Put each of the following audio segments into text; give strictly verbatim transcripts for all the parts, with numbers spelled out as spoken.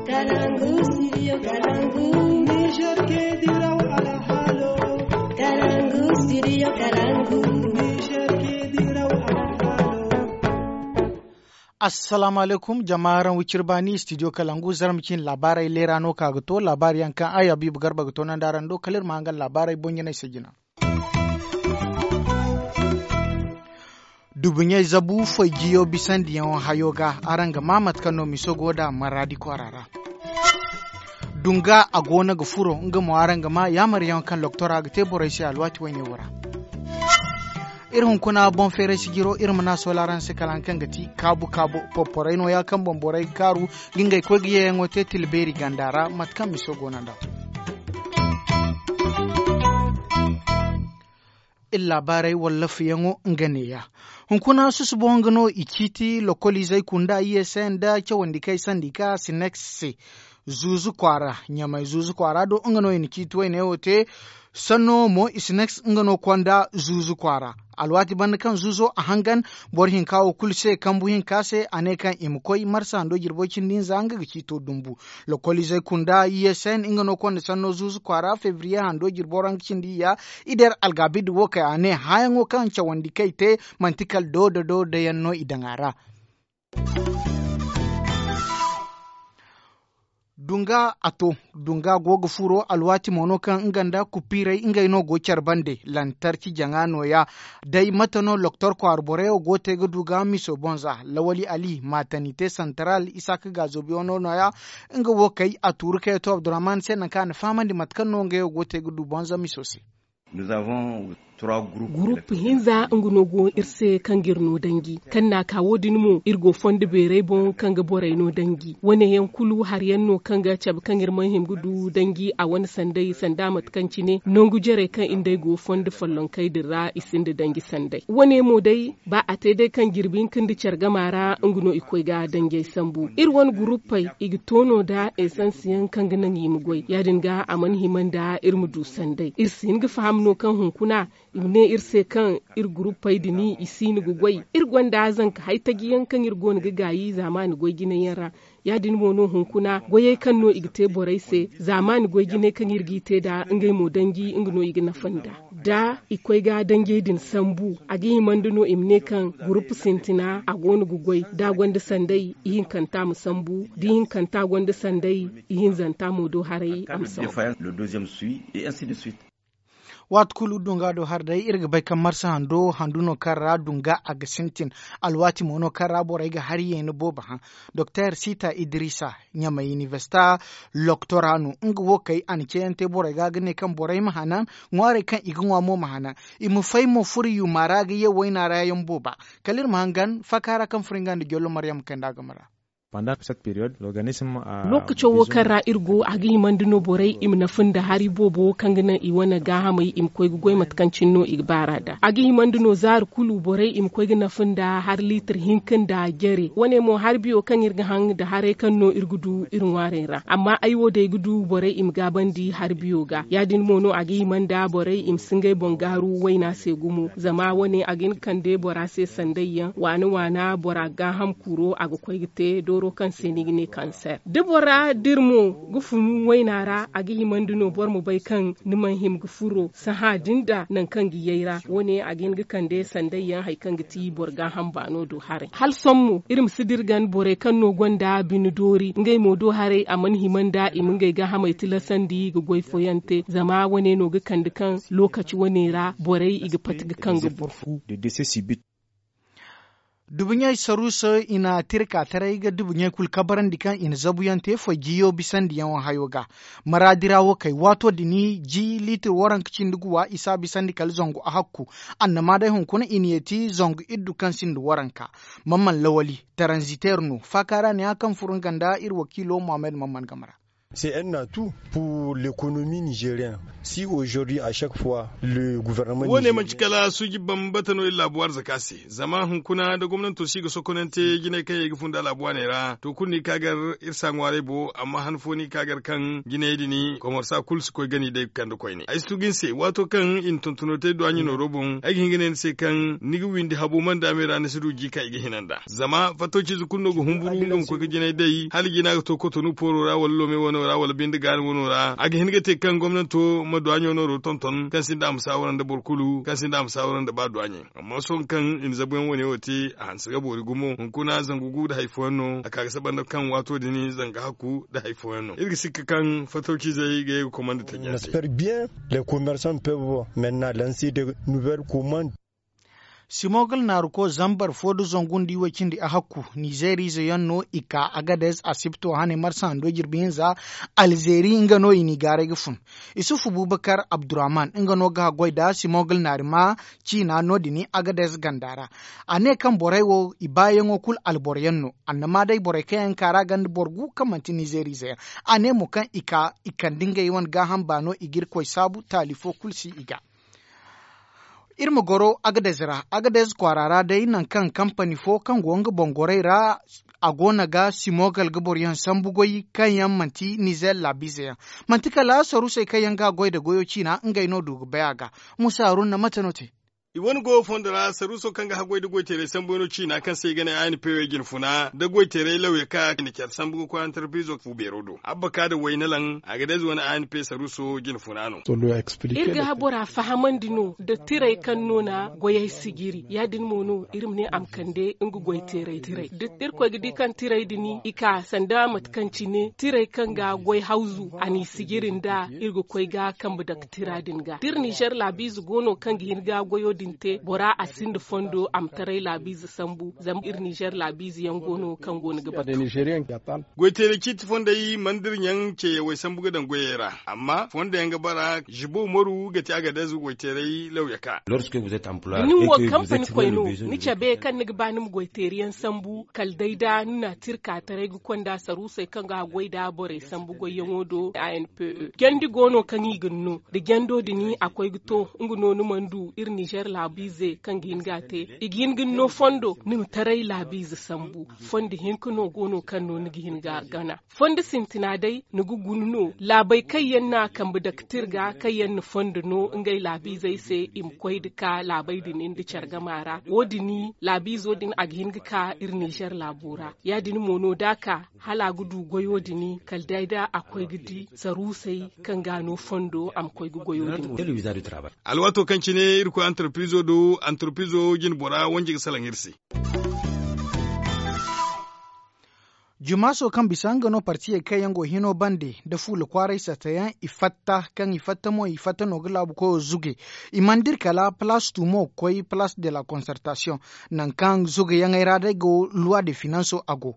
Kalangu, studio Kalangu. Niger ke diraw alhalo. Kalangu, studio Kalangu. Niger ke diraw alhalo. Assalamu alaikum, jama araŋ wicir baani, studio Kalangu, zarma cin laabaarey leera no ka ga to, laabaari yaŋ kaŋ ay Habibu Garba ga to nandi araŋ do, kala iri ma hangan laabaarey boŋ-jinay se jina. Dubuɲey zabu foy jiyo bisandiyaŋo hayo ga, araŋ ga maa mate kaŋ no miso go nd'a maraadi kwaara ra. Dunga a goono ga furo, nga mo araŋ ga maa yaamaryaŋo kaŋ loktora ga te borey se alwaati wayne wo ra. Iri hunkuna boŋ feeray sijiro, iri ma na a soola araŋ se kala haŋ kaŋ ga ti kaabu kaabu. Porporey nooya kaŋ boŋ borey ga kaaru ga ngey koy ga yeeyaŋo te tila beeri ganda ra, mate kaŋ miso goono nd'a. Iri laabaarey wallaafayaŋo nga neeya. Hunkuna susubo nga no i ciiti lokoliizey kunda I S N nda cawandikey sandika Sinex se. Zuuzu kwaara, Ɲamay zuuzu kwaara do nga no i na ciiti wayne wo te. Sanno mo i Sinex nga no konda zuuzu kwaara. Alwaati banda kaŋ zuuzo a hangan, boro hinka wo kulu se kambu hinka se a ne kaŋ i ma koy marsa hando jirbo cindi hinza nga ga ciito dumbu. Lokoliizey kunda I S N nga no konda sanno zuuzu kwaara febriye hando jirbo ra nga cindi iyya. I der algaabidi wo kay a ne hããyaŋo kaŋ cawandi kay te manti kala doodo doodo yaŋ no i daŋ a ra. Dunga a to, dunga go ga furo alwaati mo no kaŋ nga nda kupiirey ngey no go care bande lantarki jaŋa nooya. Day mate no loktor kwaara borey wo go te ga du ga miso boŋ za lawali ali matanite santaral isaaka gaazo biyo no nooya. Nga wo kay a tuuru kay to abdurrahman se nangu kaŋ a na fahamandi mate kaŋ no ngey wo go te ga du boŋ za miso se. Gurupu hinza nga no go iri se kaŋ ga iri no danji kaŋ na a ka wo- din mo iri go fondo beeray boŋ kaŋ ga borey no danji wane yaŋ kulu hari yaŋ no kaŋ ga cabe kaŋ iri mana hima ga du danji a wane sanday sanda mate kaŋ cine nangu jarey kaŋ iri nd'ey go fondo follonkey din ra i sinda danji sanday wane mo day ba a te day kaŋ jirbi hinka nda care gama ra nga no i koy ga danjey sambu iri wane guruppey i ga to no nda esansiyaŋ kaŋ ga naŋ i ma goy ya- din ga a mana hima nda iri ma du sanday iri si hin ga faham no kaŋ hunkuna i ma ne iri se kaŋ iri guruppey din i siino ga goy iri gonda zanka haytaji yaŋ kaŋ iri go no ga gaayi zaamaani goy jinay yaŋ ra ya- din mo no hunkuna goyey kaŋ no i ga te borey se zaamaani goy jinay kaŋ iri g'i te nd'a ngey mo danji nga no i ga nafa nd'a da i koy ga danjey din sambu a ga hima nda no i ma ne kaŋ gurupu sintina a go no ga goy da a gonda sanday ihinkanta ma sambu da ihinkanta gonda sanday ihinzanta mo do haray a ma sambu. Waati kulu dunga do hari day iri ga bay kaŋ marsa hando handu no kaŋ ra dunga a ga sintin alwaati mo no kaŋ ra borey ga hari yeeni boobo haŋ. Doktor sita idrisa ɲamay inibersita loktora no nga wo kay a na ceeyaŋ te borey ga ga ne kaŋ borey ma hanan ŋwaarey kaŋ i ga ŋwa mo ma hanan i ma fay mo furo yuma ra ga ye wayna ra yaŋ booba. Kala iri ma hangan faaka ra kaŋ furo nga nda jollo maryam kanda game ra. Lokaco wo kaŋ ra iri go a ga himandi no borey i ma nafa nda hari boobo kaŋ ga naŋ i wane gaahamey i ma koy ga goy mate kaŋ cine no i ga baar'a nd'a a ga himandi no zaari kulu borey i ma koy ga nafa nda hari liitir hinka nda jare wane mo hari biyo kaŋ iri ga haŋ nda haray kaŋ no iri ga du iri ŋwaarey ra amma ay wo day ga du borey i ma gaabandi hari biyo ga ya- din mo no a ga hima nda borey i ma si ngey boŋ gaaru wayna se gumo zama wane a ga hin ga kande bora se sanday yaŋ waana waana bora gaaham kuro a ga koy ga te dooro kaŋ se ni ga ne kanser da bora dira mo ga funu wayna ra a ga himandi no boro ma bay kaŋ ni mana hima ga furo sahã din da nangu kaŋ ga yay ra wane a ga hin ga kande sanday yaŋ hari kaŋ ga ti boro gaaham baano do haray hala sohõ mo iri ma si dira gan borey kaŋ no gonda bine doori ngey mo do haray a mana hima nda i ma ngey gaahamey tilasandi ga goy fooyaŋ te zama wane no ga kande kaŋ lookaci wane ra borey i ga pati ga kaŋ ga boro fu. Dubuɲey saruuso i na tirka taray ga dubuɲey kulu kabarandi kaŋ i na zabuyaŋ te foy jiyo bisandiyaŋo hayo ga. Maraadi ra wo kay waato din ji liitir waranka cindi guwa i si a bisandi kala zangu a hakku. Annama day hunkuna i na yeeti zangu iddu kaŋ sinda waranka. Mamman lawali taranziteer no faaka ra ne ya kaŋ furo nga nda iri wakiilo mohammed mamman game ra. C'est un atout pour l'économie nigérienne. Si aujourd'hui à chaque fois le gouvernement wo- ne manci kala suuji bambata no iri laabu arzaka se. Zama hunkuna da gomnanto si ga sokonante jinay kaŋ yaŋ i ga funda laabu waaney ra to kulu no i ka gar iri si a ŋwaaray bo amma han fo no i ka gar kaŋ jinayey din komorsa kulu si koy gani day ga kande koyne ay si tugu ni se waato kaŋ i na tontonotey duwaaɲe nooro boŋ ay ga hin ga ne ni se kaŋ ni ga windi habo mandaamey ra ni si du ji kaŋ i ga hina nd'a zama fattociize kulu no ga humburu nga ma koy ga jinay day hala jina ga to kotonu pooro ra wala loome wano ra wala binde gaani wano ra a ga hin ga te kaŋ gomnanto ma duwaaɲo nooro tonton kaŋ sinda a ma saawara nda boro kulu kaŋ sinda a ma saawara nda ba duwaaɲey amma sohõ kaŋ i na zabuyaŋ wane wo te a hanse ga boori gumo hunkuna zangu gu nda hari fooyaŋ no a ka ga saba nda kaŋ waato din zanga hakku nda hari fooyaŋ no iri ga sikka kaŋ fattociizey ga ye ga komanda taji se. Bien les commerçants peuvent maintenant lancer de nouvelles commandes. Simogal naaruko zambar fo nda zangu nda iway cindi a hakku nizeeriize yaŋ no i ka agadez asibto hane marsa hando jirbi hinza alzeeri nga no i n'i gaaray ga fun. Isufu bubakar abdurrahman nga no ga goy nda simogal naari ma ciina no- din agadez ganda ra. A ne kaŋ borey wo i baayaŋo kulu alboro yaŋ no. Annama day borey kaŋ yaŋ ka ra ganda boro gu kaŋ manti nizeeriize yaŋ. A ne mo kaŋ i ka i kande ngey wane gaaham baano i ga irkoy saabu taali fo kulu si i ga. Iri ma goro agadez ra agadez kwaara ra day nangu kaŋ kampani fo kaŋ go nga boŋ gorey ra a go no ga simogal ga boroyaŋ sambu goy kaŋ yaŋ manti nizer laabiize yaŋ. Manti kala saruusey kaŋ yaŋ ga a goy nda goyo ciina ngey no du ga bay a ga. Musa haruna mate no te? I wane go fondo ra saruuso kaŋ ga haggoy nda goyteeray sambu yaŋ no ciina kaŋ se i ga ne a n p o jine funa nda goyteeray lawya kaŋ a na care sambu ga koy antarpiizo fu beero do abba ka nda wayne laŋ a ga day ize wane a n p saruuso jine funa no. Iri ga bora fahamandi no nda tiray kaŋ no na goyey sijiri ya- din mo no iri ma ne a ma kande nga goyteeray tiray da irkoy ga di kaŋ tiray din i ka sanda mate kaŋ cine tiray kaŋ ga goy hawzu a n'i sijiri nda iri ga koy ga kambe dake tira din ga da iri nizer laabiize go no kaŋ ga hin ga goyo din te bora a sinda fondo a ma taray laabiize sambu zama iri nizer laabiize yaŋ go no kaŋ go no ga batu. Goyteeray ciiti fondey mana da iri ɲaŋ ceeyawey sambu ga daŋ goyey ra amma fondo yaŋ ga bara zibo maru ga te a ga day goyteeray lawya ka. Da nin wo kampani koy no ni cabe kaŋ ni ga ba ni ma goyteeri yaŋ sambu kala day da ni na tirka taray ga konda saruusey kaŋ ga a goy nda borey sambu goyyaŋo do a n p e jandi go no kaŋ i ga ni no da jando din a koy ga to nga no ni mana du iri nizer laabiize kaŋ ga hin ga a te i ga hin ga ni no fondo ni ma taray laabiize sambu fondo hinka no go no kaŋ no ni ga hin ga a gana fondo sintina day ni ga guna no laabey kaŋ yaŋ na kambe dake tirga kaŋ yaŋ na fondo no ngey laabiizey se i ma koy nda ka laabey din nda care gama ra wo- din laabiizo din a ga hin ga ka iri nizer laabo ra ya- din mo no da a ka hala a ga du goyo din kala day da a koy ga di saruusey kaŋ ga a no fondo a ma koy ga goyo din. Alwaato kaŋ cine iri koy antarpiizo do antarpiizo jine bora wanje ga salaŋ iri se. Jumaaso kaŋ bisa nga no partiyey kaŋ yaŋ go hino bande nda fuula kwaaray satta yaŋ i fatta kaŋ i fatta mo i fatta no ga laabu koyo zuge. I mana dira kala palaas tumo ga koy palaas de la konsertasiyoŋ nangu kaŋ zugeyaŋey ra day go luwa de finanso a go.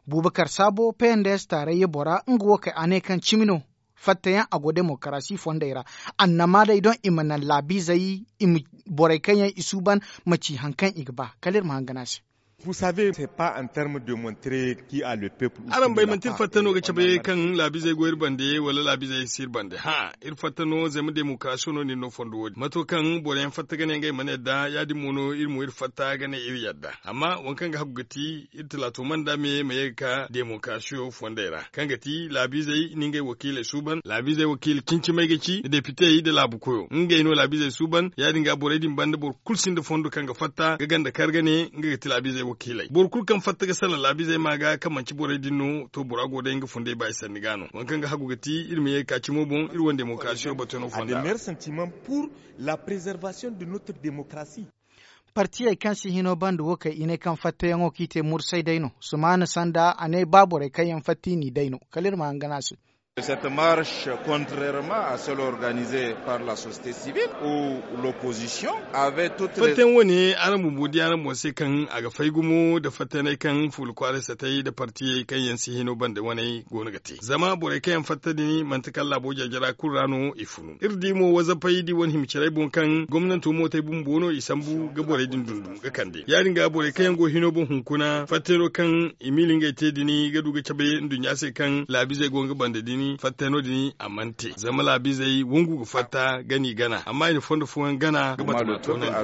Bubakar saabo p n d s taarayya bora nga wo kay a ne kaŋ cimi no fattayaŋ a go demokarasi fondey ra. Annama day doŋ i ma naŋ laabiizey i ma borey kaŋ yaŋ i suuban ma ci hari kaŋ i ga ba kala iri ma hangan a se. Araŋ bay manti iri fatta no ga cabe kaŋ laabiizey go iri bande wala laabiizey si iri bande hã iri fatta no zama demokarasiyo no nin no fondo wo- din mato kaŋ boro yaŋ fatta ga ne ngey mana yadda ya- din mo no iri mo iri fatta ga ne iri yadda amma waŋ kaŋ ga hagu ga ti iri talaato mana nda me ma ye ga ka demokarasiyo fondey ra kaŋ ga ti laabiizey ni ngey wakiiley suuban laabiizey wakiila cincimey ga ci depitey nda laabu koyo ngey no laabiizey suuban ya- din ga borey din banda boro kulu sinda fondo kaŋ ga fatta ga ganda kar ga ne nga ga ti laabiizey wakiiley boro kulu kaŋ fatta ga salaŋ laabiizey ma ga kaŋ manci borey din no to bora go day nga fundey ba i sanni ga no waŋ kaŋ ga hagu ga ti iri ma ye ga ka cimo boŋ iri wane demokarasiyo batuyaŋo fonda ra. Partiyey kaŋ si hino banda wo kay i ne kaŋ fattayaŋo kaŋ i te mursay day no sumaana sanda a ne ba borey kaŋ yaŋ fatta i n'i day no kala iri ma hangan a se. Cette marche contrairement à celle organisée par la société civile ou l'opposition avait toute fattayaŋ wane araŋ bumbo di araŋ boŋ se kaŋ a ga fay gumo nda fattayaney kaŋ fuula kwaaray satay nda partiyey kaŋ yaŋ si hino banda waney go no ga te zama borey kaŋ yaŋ fatta din manti kala laabo jajara kulu ra no i funu iri di mo wazapey da i wane hima carey boŋ kaŋ gomnanto mootey bumbo no i sambu ga borey din dundum ga kande ya- din ga borey kaŋ yaŋ go hino boŋ hunkuna fattayno kaŋ i miila ngey te din ga du ga cabe nduɲɲa se kaŋ laabiizey go nga banda din. fattay no- din a mana te zama laabizey wangu ga fatta gana i gana amma i na fondo fooyaŋ gana ga batama toonandi.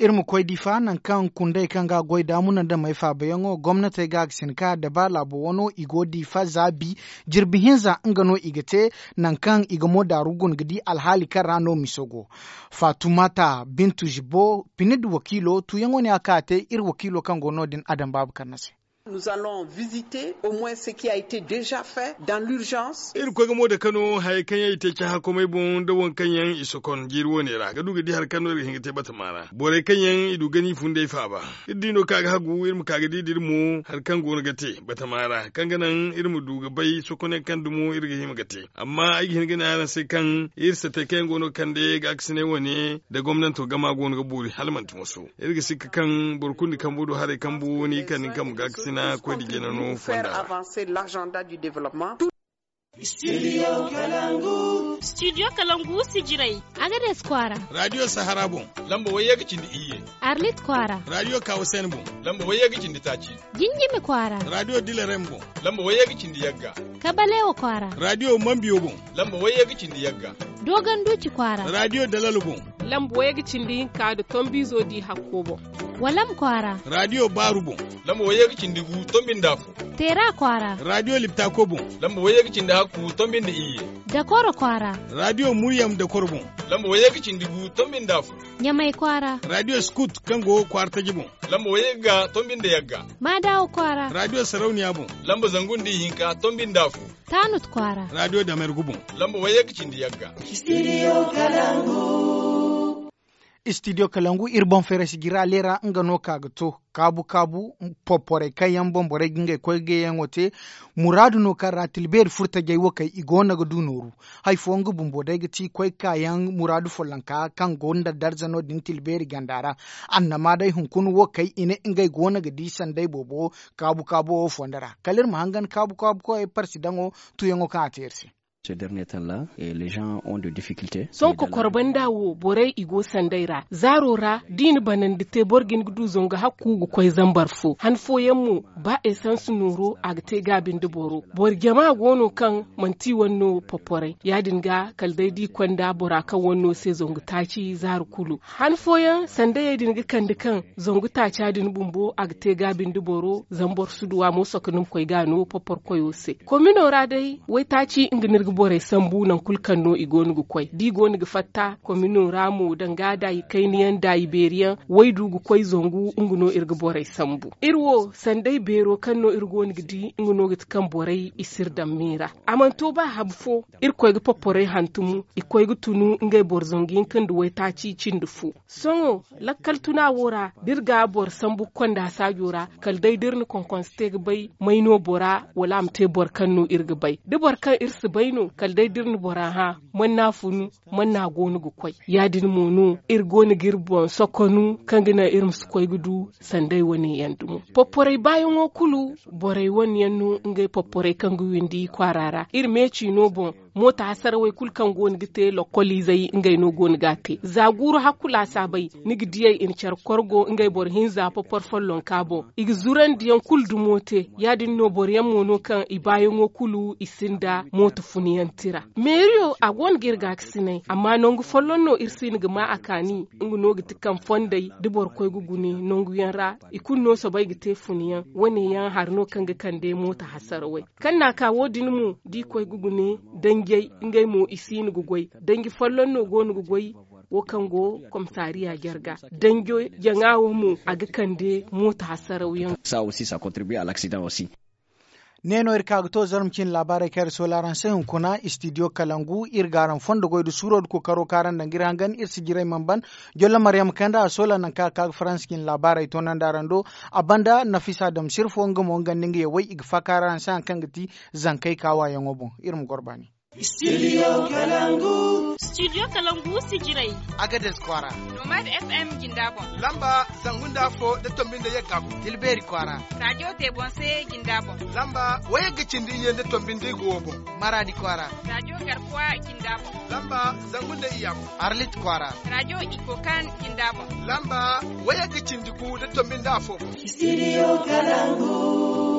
Iri ma koy difa nangu kaŋ kundey kaŋ ga a goy da munandamey faabayaŋo gomnatey ga a ga sinka da ba laabo wano i go difa za bi jirbi hinza nga no i ga te. Nangu kaŋ i ga mo daaru guna ga di alhaali kaŋ ra no miso go. Faatumata bintu zibbo pinid wakiilo tuuyaŋo ne a ka a te iri wakiilo kaŋ go no- din adam baabu karna se. Nous allons visiter au moins ce qui a été dejà fait dans l'urgence. Iri ga koy ga mo dake no hayey kaŋ yaŋ i te cahã komey boŋ nda waŋ kaŋ yaŋ i sokon jiiri wo- ne ra ga du ga di hari kaŋ no iri ga hin ga te batama ra borey kaŋ yaŋ i du gani funday faaba. Iri di no kaŋ a ga hagu iri ma ka ga di da iri mo hari kaŋ go no ga te batama ra kaŋ ga naŋ iri ma du ga bay sokonyaŋ kaŋ dumo iri ga hima ga te. Amma ay ga hin ga ne araŋ se kaŋ iri satey kaŋ yaŋ go no ga kande ga a ga sinay wane nda gomnanto gama go no ga boori hala manti moso. Iri ga sikka kaŋ boro kulu ni kambu do haray kambu ni kaŋ ni kambu ga a ga sina koy da jina no fonda ra. Studio kalangu sijirey. Agades kwaara. Radio sahara boŋ. Lamba wayye ga cindi iyye. Arlit kwaara. Radio kawasen boŋ. Lamba wayye ga cindi taaci. Jinjimi kwaara. Radio dilarem boŋ. Lamba wayye ga cindi yagga. Kabalewa kwaara. Radio mambiyo boŋ. Lamba wayye ga cindi yagga. Dogon duci kwaara. Radio dalalo boŋ. Lamba wayye ga cindi hinka da tombizo di hakko boŋ. Walam kwaara. Radio baaru boŋ. Lamba wayye ga cindi gu tombinda fo. Teera kwaara. Radio liptako boŋ. Lamba wayye ga cindi hakku tombinda iyye. Dakoro kwaara. Radio muryam dakoro boŋ. Lamba wayye ga cindi gu tombinda fo. Ɲamay kwaara. Radio scout kaŋ go kwaara taji boŋ. Lamba wayye ga tombinda yagga. Maadawo kwaara. Radio sarauniya boŋ. Lamba zangu nda ihinka tombinda fo. Tanut kwaara. Radio damergu boŋ. Lamba wayye ga cindi yagga. Studio kalangu. Studio kalangu iri boŋ feere sijira leera nga no ka ga to kaabu kaabu. Popporey kaŋ yaŋ boŋ borey ga ngey koy ga yaŋo te. Muraadu no kaŋ ra tilbeeri furtajey wo kay i go no ga du nooru. Hari fooyaŋ ga bumbo day ga ti koy kaayaŋ muraadu follonka kaŋ go nda darza no- din tilbeeri ganda ra. Annama day hunkuna wo kay i ne ngey go no ga di sanday boobo kaabu kaabu wo fonda ra kala iri ma hangan kaabu kaabu koyey parsidaŋo. Tuyaŋo kaŋ a te iri se. Sohõ kokor banda wo borey i go sanday ra zaaro ra da i na banandi te boro ga hin ga du zangu hakku ga koy zambar fo han fooyaŋ mo ba esans nooro a ga te gaabi nda boro. Boro jama go no kaŋ manti i wane no poporay ya- din ga kala day da i konda bora kaŋ wane no se zangu taaci zaaro kulu. Han fooyaŋ sandayey din ga kande kaŋ zangu taaca din bumbo a ga te gaabi nda boro zama boro si du a mo soka ni ma koy ga a no poporkoyo se. Komino ra day waytaaci nga no iri ga borey sambu nangu kulu kaŋ no i go no ga koy da i go no ga fatta komino ra mo danga da i kayna yaŋ da i beeri yaŋ waydu ga koy zangu nga no iri ga borey sambu. Iri wo sanday beero kaŋ no iri go no ga di nga no ga ti kaŋ borey i si iri daŋ miira. A mana to ba habu fo iri koy ga poporey hantum i koy ga tunu ngey boro zangu hinka nda waytaaci cindi fo. Sohõ lakkal tuna wo ra da iri ga boro sambu ga konda saajo ra kala day da iri na konkonse te ga bay may no bora wala a ma te boro kaŋ no iri ga bay da boro kaŋ iri si bay no kala day da iri na bora hã man no a funu man no a go no ga koy. Ya- din mo no iri go no ga iri boŋ sokonu kaŋ ga naŋ iri ma si koy ga du sanday wane yaŋ dumo. Poporay baayaŋo kulu borey wane yaŋ no ngey poporay kaŋ ga windi kwaara ra iri meeci no boŋ. Mooto hasarawey kulu kaŋ go no ga te lokkoliizey ngey no go no ga a te za guuru hakku laasaabey ni ga diyey i na care korgo ngey boro hinza popor follonka boŋ. I ga zurandi yaŋ kulu dumo te ya- din no boro yaŋ mo no kaŋ i baayaŋo kulu i sinda mooto funiyaŋ tira. Meeriyo a go no ga iri gaakasinay amma nangu folloŋ no iri si hin ga ma a kaani. Nga no ga ti kaŋ fondey da boro koy ga gune nangu yaŋ ra i kulu no soobay ga te funiyaŋ wane yaŋ hari no kaŋ ga kande mooto hasarawey. Kaŋ no a ka wo- din mo da i koy ga gune danjey ngey mo i si hin ga goy danji folloŋ no go no ga goy. Wo kaŋ go komisariya jarga danjo jaŋa wo mo a ga kande mooto hasaraw yaŋ. Saa aussi ça contribue à l'accident aussi. Ne no iri ka ga to zarma cine laabaarey kaŋ iri soola araŋ se hunkuna istidiyo kalangu iri ga araŋ fondo goy da suuro da kookaro kaŋ araŋ daŋ ga iri hangan iri si jiray mana ban. Jollo maryam kanda a soola nangu kaŋ a ka ga faransa cine laabaarey toonandi araŋ do. A banda nafisa damsir fo nga mo nga nda nga yawey i ga faakaara araŋ se hari kaŋ ga ti zankey kaawayaŋo boŋ. Iri ma goro baani. Studio Kalangu. Studio Kalangu si jirai. Agades kwara. Nomad F M jinda bon. Lamba zangu nda fo da tombi nda yagga gu. Tilberi kwara. Radio te bon se jinda bon. Lamba wayagga cindi iye nda tombi nda igu wo bon. Maradi kwara. Radio garkwa jinda bon. Lamba zangu nda iyam. Arlit kwara. Radio ikokan jinda bon. Lamba wayagga cindi gu da tombi nda afo bon. Studio Kalangu.